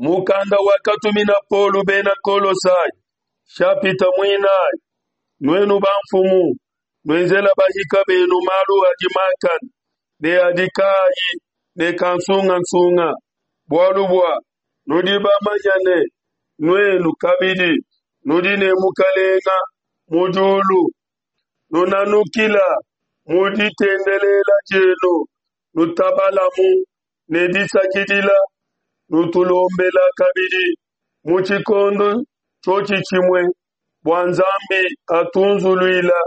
Mukanda wakatumina Paulo bena Kolosai, shapita muinayi. Nuenu bamfumu, nuenzela bahika benu malu adi makane ne adi kaayi ne kansungansunga, bualu bua nudi bamanya ne, nuenu kabidi nudi ne Mukalenga mu diulu. Nunanukila mu ditendelela dienu, nutabalamu ne disakidila, nutulombela kabidi mu tshikondo tshiotshi tshimue bua Nzambi atunzuluila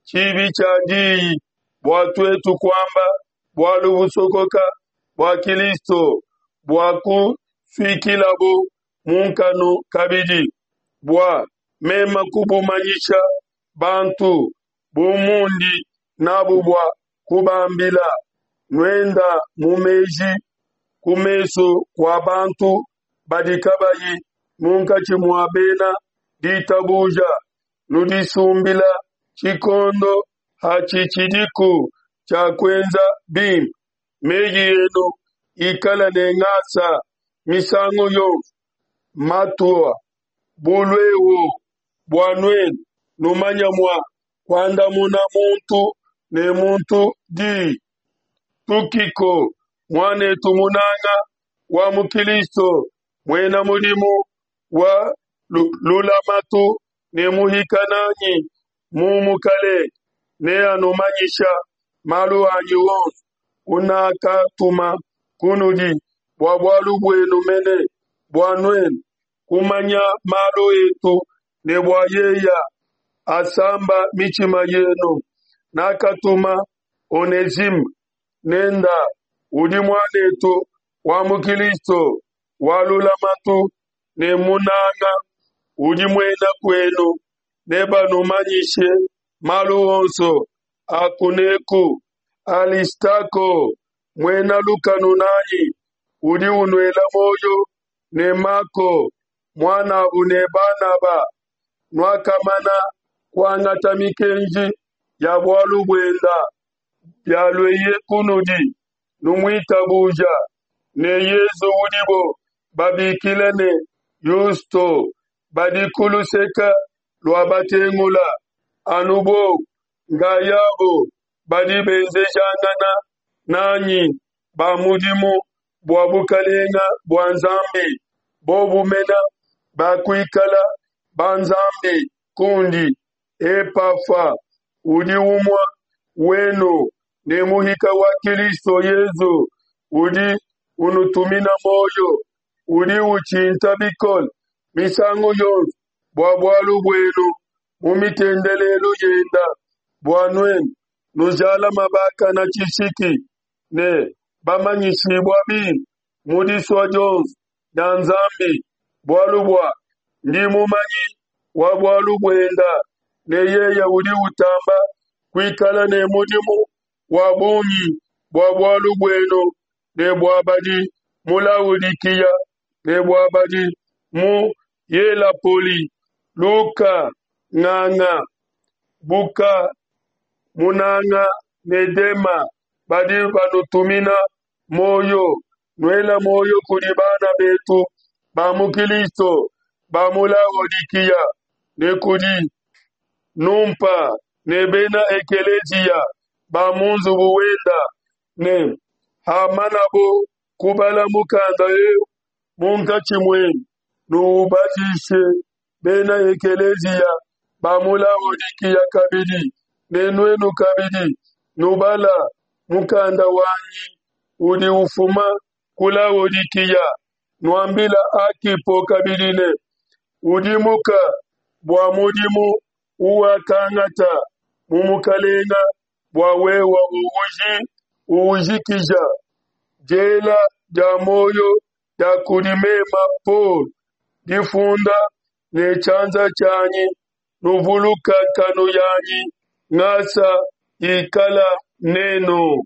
tshibi tshia diyi bua tuetu kuamba bualu busokoka bua Kilisto, bua kusuikilabu mu nkanu kabidi, bua meme kubumanyisha bantu bu mundi nabu bua kubambila. Nuenda mu meji ku mesu kua bantu badi kabayi munkatshi mua bena ditabuja, nudisumbila tshikondo hatshitshidiku tshia kuenza bimpe. Meyi enu ikala ne ngasa misangu yonso, matua bu luehu, bua nuenu numanya mua kuandamuna muntu ne muntu diyi. Tukiko, muanetu munanga wa mu Kilisto, muena mudimu wa lulamatu ne muhika nanyi mu Mukalenge, neanumanyisha malu anyi onso unakatuma kunudi bua bualu buenu mene, bua nuenu kumanya malu etu ne bua yeya asamba mitshima yenu. Nakatuma Onezime nenda, udi muanetu wa mu Kilisto wa lulamatu ne munanga, udi muena kuenu, nebanumanyishe malu onso a kuneku. Alistako, muena lukanu nanyi, udi unuela muoyo, ne Mako, muanabu ne Banaba, nuakamana kuangata mikenji ya bualu buenda bialueye kunudi, numuitabuja, ne Yezu udibo babikila ne Yusto, badi ku luseke lua batengula, anu bobu nkayabo badi benzejangana nanyi ba mudimu bua bukalenga bua Nzambi, bobu mena bakuikala ba Nzambi kundi. Epafa udi umua wenu ne muhika wa Kilisto Yezu udi unutumina muoyo, udi utshinta bikole misangu yonso bua bualu buenu mu mitendelelu yenda, bua nuenu nujalama bakana tshishiki ne bamanyishibua bimpe mu disua dionso dia Nzambi, bualu bua ndi mumanyi wa bualu buenda, ne yeye udi utamba kuikala ne mudimu wa bungi bua bualu buenu ne bua badi mu Laodikiya ne bua badi mu Yelapoli. Luka, nganga, Buka, munanga ne Dema badi banutumina muoyo. Nuela muoyo kudi bana betu ba mu Kilisto ba mu Laodikiya ne kudi Numpa ne bena ekeleziya ba mu nzubu wenda, ne hamanabo kubala mukanda eu munkatshi muenu, nuubadishe bena ekeleziya ba mu Laodikiya kabidi, ne nuenu kabidi nubala mukanda wanyi udi ufuma ku Laodikiya. Nuambila Akipo kabidi ne, Udimuka bua mudimu uwakangata mu Mukalenga bua wewa uujikija. Diela dia muoyo dia kudi mema Paulo, difunda ne tshianza tshianyi, nuvuluka nkanu yanyi, ngasa ikala nenu.